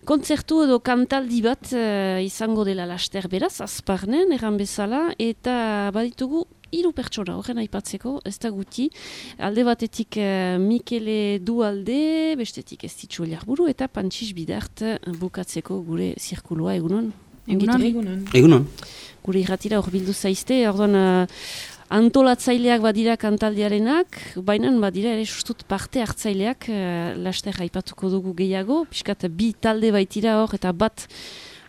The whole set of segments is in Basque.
Kontzertu edo kantaldi bat izango dela laster beraz, Azparnen, erran bezala, eta baditugu 3 pertsona horren aipatzeko, ez da guti. Alde batetik Mikele Dualde, bestetik Estitxu Eliarburu, eta Pantxix Bidart bukatzeko gure zirkulua egunon. Egunon. Gure irratira hor bildu zaizte, orduan antolatzaileak badira kantaldiarenak, baina badira ere sustut parte hartzaileak laster aipatuko dugu gehiago, pixkat 2 talde baitira hor, eta bat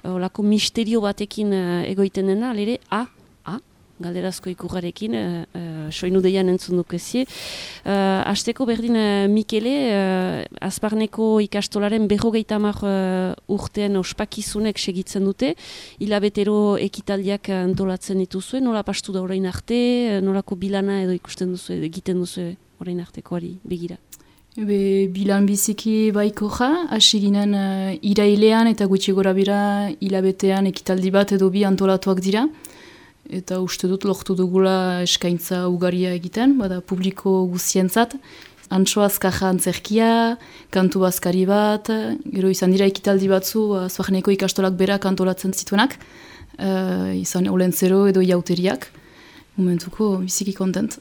olako misterio batekin egoiten dena, alere galderazko ikurrarekin, soinu deian entzun dukezie. Hasteko berdin Mikele, Azparneko ikastolaren 50 urtean ospakizunek segitzen dute, hilabetero ekitaldiak antolatzen dituzue, nola pastu da orain arte, nolako bilana edo ikusten duzu, egiten duzu orain artekoari begira? Bilan biziki baiko hasi ginen irailean eta gutxi gora bira hilabetean ekitaldi bat edo 2 antolatuak dira. Eta uste dut lortu dugula eskaintza ugaria egiten, bada publiko guztientzat. Antxo azkaja antzerkia, kantu bazkari bat, gero izan dira ekitaldi batzu Azparneko ikastolak berak antolatzen zituenak, izan olentzero edo iauteriak. Momentuko biziki kontent.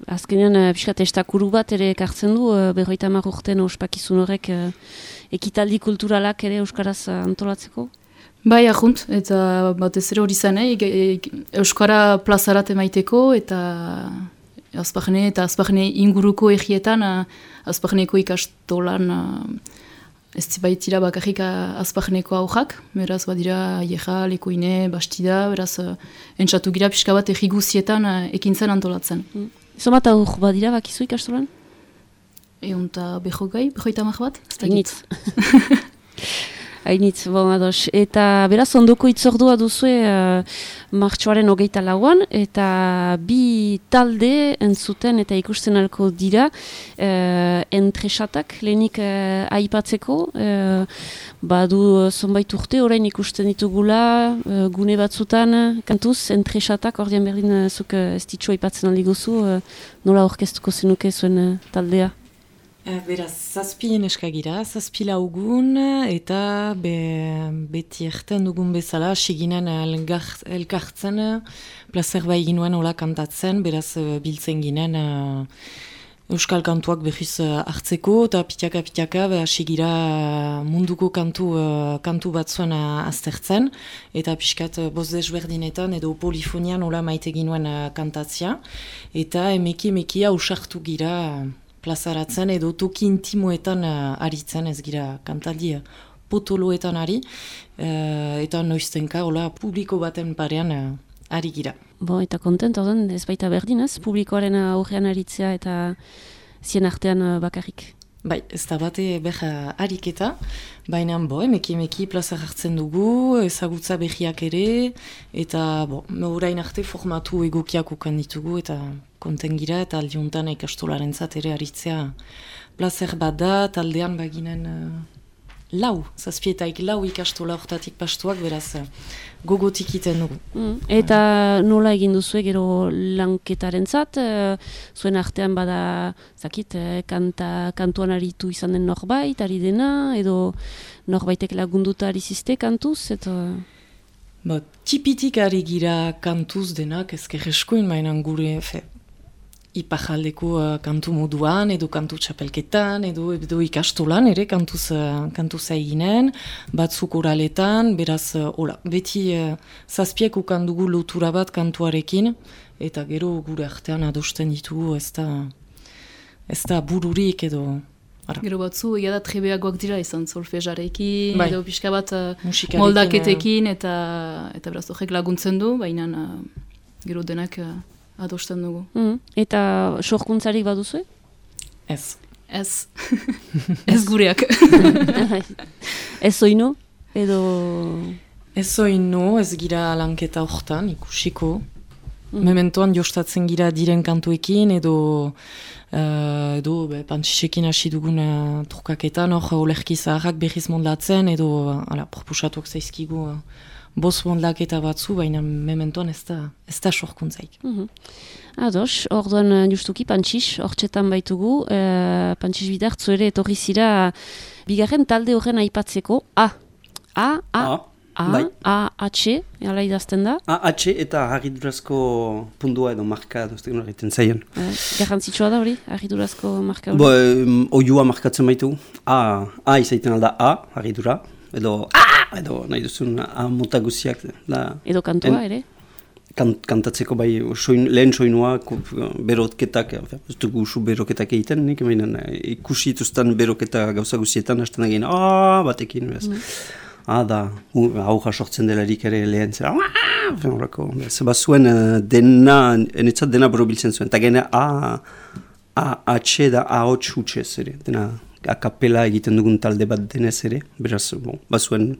Azkenean pixkat estakuru bat ere ekartzen du, 50 urten ospakizun horrek ekitaldi kulturalak ere euskaraz antolatzeko? Bai, ahunt, eta batez ere hori zen, Euskara plazarat emaiteko, eta Azparne inguruko egietan, Azparneko ikastolan ez baitira bakarrik Azparneko aurrak, beraz badira Aieja, Lekoine, Bastida, beraz entzatu gira pixka bat egi guzietan ekintzen antolatzen. Zomat aur badira bakizu ikastolan? Eunta behogai, 50 bat? Hainitz. Hainitz, bon, ados. Eta beraz, ondoko itzordua duzue martxoaren 24an, eta 2 talde entzuten eta ikusten alko dira entresatak, lehenik aipatzeko, badu zonbait urte, orain ikusten ditugula, gune batzutan, kantuz, entresatak, ordean berdin zuk Estitxu aipatzen aldi guzu, nola orkestuko zenuke zuen taldea? Beraz, 7 eskagira, 7 laugun, eta beti erten dugun bezala, siginen elkartzen, plazer bai ginuen hola kantatzen, beraz biltzen ginen euskal kantuak behiz hartzeko, eta pitaka, sigira munduko kantu batzuen aztertzen, eta pixkat boz desberdinetan edo polifonian hola maite ginuen kantatzea, eta emeki ausartu gira plazaratzen edo toki intimoetan aritzen, ez gira kantaldi potoloetan ari, eta noiztenka hola publiko baten parean ari gira. Eta kontent, ordan, ez baita berdin, ez? Publikoaren aurrean aritzea eta zien artean bakarrik. Bai, ez da bate ariketa, baina emeki plazar hartzen dugu, ezagutza behiak ere, eta orain arte formatu egokiak ukan ditugu, eta konten gira, eta aldiuntan ikastolaren zat ere aritzea plazer bat da, taldean baginen 7 ikastola hortatik pastuak, beraz gogotik iten dugu. Eta nola egin duzue gero lanketaren zat, zuen artean bada, kantuan aritu izan den norbait, ari dena, edo norbaitek lagunduta ari ziste kantuz, eta... Tipitik ari gira kantuz denak, ezker eskoin mainan gure, ipajaldeko kantu moduan, edo kantu txapelketan, edo ikastolan ere kantuz eginen, batzuk oraletan, beraz, beti 7 ukandugu lotura bat kantuarekin, eta gero gure artean adosten ditugu, ez da bururik edo... Gero batzu, egia da trebeagoak dira izan solfejarekin, edo pixka bat moldaketekin, eta beraz horrek laguntzen du, baina gero denak... adosten dugu. Eta sorkuntzarik baduzu? Ez. Ez gureak. Ez oino? Edo... Ez oino, ez gira lanketa hortan, ikusiko. Mementoan jostatzen gira diren kantuekin, edo pantxisekin hasi dugun trukaketan, olerki zaharrak behiz moldatzen, edo proposatuak zaizkigu boz bondaketa batzu, baina mementoan ez da sorkuntzaik. Ados, orduan justuki Pantxix, hortxetan baitugu, Pantxix Bidartzu ere etorri zira bigarren talde horren aipatzeko, A-H, ala idazten da? A-H eta harridurazko pundua edo marka duztek nora egiten zaien. Garrantzitsua da hori, harridurazko marka hori? Oiua markatzen baitu. A izaiten alda A, harridura, edo nahi duzun A mota guziak. Edo kantua ere? Kantatzeko bai lehen soinua, berotketak, ez dugu usu beroketak egiten, nik ikusi ituzten beroketa gauza guzietan, hasten egin batekin, da, hauja sortzen delarik ere lehen zera, zeba zuen enetzat dena borobiltzen zuen, eta gene A-H da A-H hutsez ere, dena akapela egiten dugun talde bat denez ere, beraz, bazuen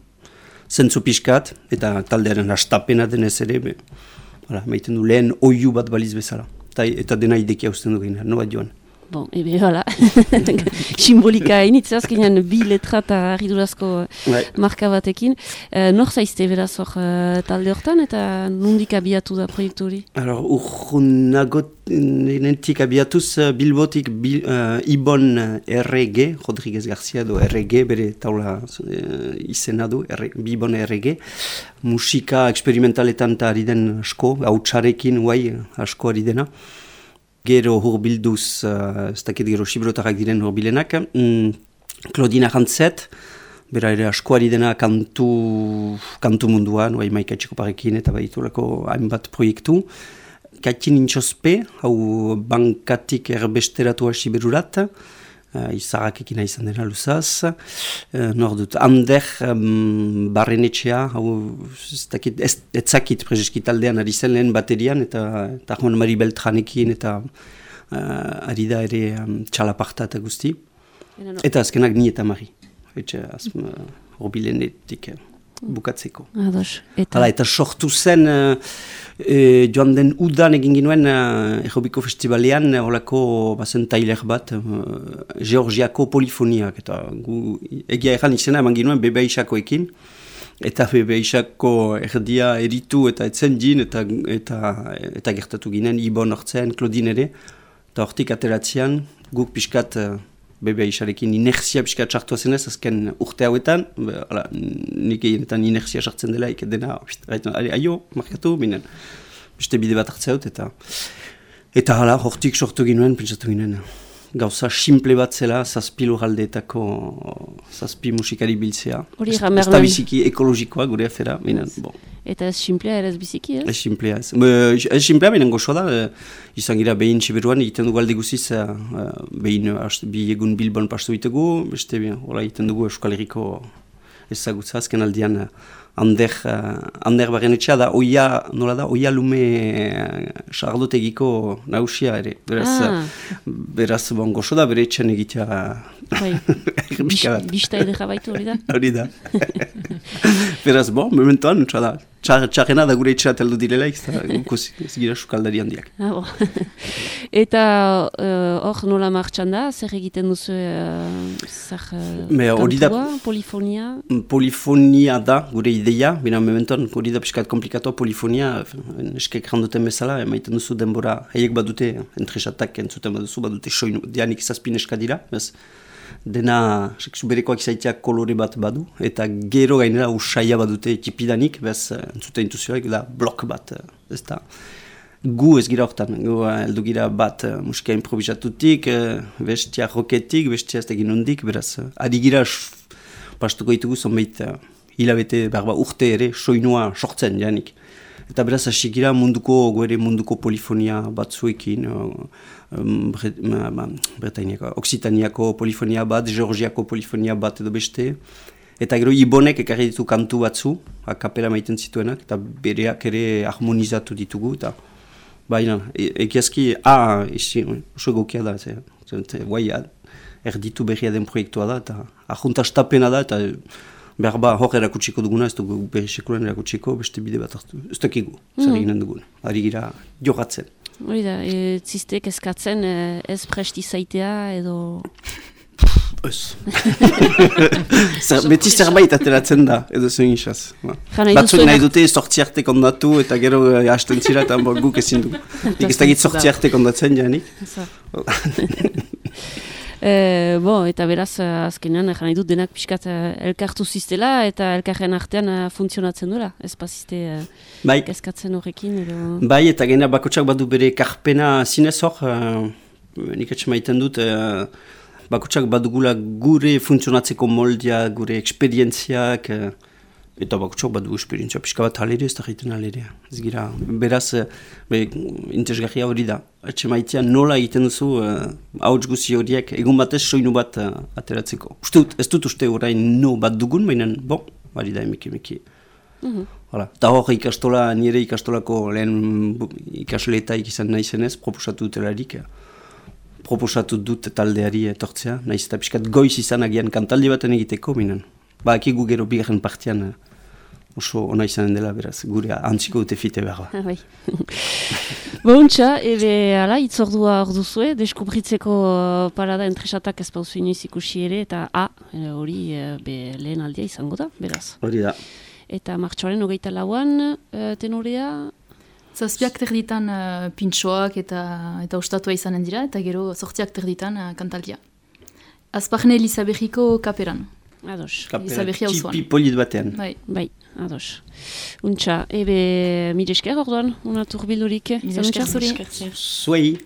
zentzu pixkat, eta taldearen astapena denez ere, maiten du lehen oiu bat baliz bezala, eta dena idekia usten du ginen, no bat joan. Bon, ebe, hala, simbolika hainitze azkenean bi letra eta harridurazko marka batekin. Nor zaizte beraz hor talde hortan eta nondik abiatu da proiektu hori? Nentik abiatuz Bilbotik Ibon RG, Rodriguez Garcia do RG, bere taula izena du, Ibon RG, musika experimentaletan eta ari den asko, hautsarekin asko ari dena. Gero hurbilduz, ez dakit gero xibrotarrak diren hurbilenak, Claudine Arantzet, bera ere askoari dena kantu munduan, Maika Txikoparekin eta baitulako hainbat proiektu. Katin Intxospe, hau bankatik erbesteratua siberurat, izarrakekin izan dena luzaz. Nor dut, Ander Barrenetxea, hau etzakit prezeski taldean ari zen lehen baterian, eta Juan Mari Beltranekin, eta ari da ere txalaparta eta guzti. Eta azkenak ni eta Mari. Horbilenetik bukatzeko. Eta sortu zen, joan den udan egin ginuen Errobiko Festivalean, holako bazen tailer bat, Georgiako polifoniak, eta egia erran izena eman ginuen BBISakoekin, eta BBISako erdia eritu eta etzen jin, eta gertatu ginen, Ibon hortzen, Claudine ere, eta hortik ateratzean, guk pixkat BBISarekin inerzia pixkat sartua zenez, azken urte hauetan, nik egin inerzia sartzen dela, dena, aio, markatu, binen, beste bide bat hartzea dut, eta hala, hortik sortu ginuen, pentsatu ginen, gauza simple bat zela, zazpi lurraldeetako, zazpi musikari biltzea. Ez da biziki ekologikoa gure afera, binen, bon. Eta ez simplea ere ez biziki, ez? Ez simplea ez. Ez simplea binen gozoa da, izan gira behin Siberuan egiten dugu alde guziz, behin bi egun Bilbon pastu ditugu, beste egiten dugu Euskal Herriko ezagutza, azken aldian Ander Barrenetxea da, nola da, oia lume sardotegiko nausia ere. Beraz, gozo da, bere etxan egitea. Bista edera baitu hori da? Hori da. Beraz, momentuan, txarrena da gure etxea teldu direla, ez gira sukaldari handiak. Eta hor nola martxan da, zer egiten duzu kantua, polifonia? Polifonia da, gure ideia, bina momentuan, hori da piskat komplikatoa, polifonia, eskek randuten bezala, emaiten duzu denbora, haiek badute, entresatak entzuten badute soinu, dianik zazpin eskadira, dena berekoak izaiteak kolore bat badu, eta gero gainera usaia badute tipidanik, entzuten intuzioak da blok bat, ez da. Gu ez gira hortan, heldu gira bat musika improvisatutik, bestia roketik, bestia ez egin hondik, beraz, adi gira pastuko ditugu zonbait hilabete, urte ere, soinua sortzen janik. Eta beraz, hasi gira munduko polifonia batzuekin, Oksitaniako polifonia bat, Georgiako polifonia bat edo beste. Eta gero Ibonek ekarri ditu kantu batzu, akapela maiten zituenak, eta bereak ere harmonizatu ditugu. Baina, egiazki, oso egokia da, erditu berria den proiektua da, eta ajuntastapena da, eta behar hor erakutsiko duguna, ez dugu berri sekulan erakutsiko, beste bide bat hartu. Ez dakigu, zer eginen dugun. Ari gira jogatzen. Hori da, ziztek eskatzen ez presti zaitea edo... Ez. Beti zerbait ateratzen da, edo zuen isaz. Batzuk nahi dute sortzi arte kondatu eta gero hasten zira eta guk ezin du. Nik ez dakit sortzi arte kondatzen janik. Eta beraz, azkenean, nahi dut denak pixkat elkartu ziztela eta elkarren artean funtzionatzen duela. Ez pazizte kezkatzen horrekin. Bai, eta gena bakotsak badu bere karpena zinez hor, nik etxe maiten dut, bakotsak badugula gure funtzionatzeko moldia, gure eksperientziak, eta bakotsak badu eksperientzia pixka bat halere, ez da jaiten halere. Ez gira, beraz, interesgarria hori da. Etxe maitean nola egiten duzu hauts guzi horiek, egun batez soinu bat ateratzeko. Ez dut uste orain no bat dugun, baina, bari da emiki. Eta hor ikastola, nire ikastolako lehen ikasleetaik izan nahi zenez, proposatu dutelarik, proposatu dut taldeari etortzea, nahiz eta pixkat goiz izan agian kantaldi baten egiteko, minen. Akigu gero bigarren partian oso ona izanen dela, beraz, gure antziko dute fite behar. Bai. Bontxa, ala, itzordua hor duzue, deskubritzeko parada entresatak ez pauzu inoiz ikusi ere, eta hori lehen aldia izango da, beraz. Hori da. Eta martxoaren 24an, tenorea... Zazpiak terditan pintxoak eta ostatua izanen dira, eta gero 8ak terditan kantaldia. Azparne Elizabejiko kaperan. Ados. Kapera txipi polit batean. Bai, ados. Untxa, mire esker orduan, una turbilurik. Mire esker zuri. Zuei.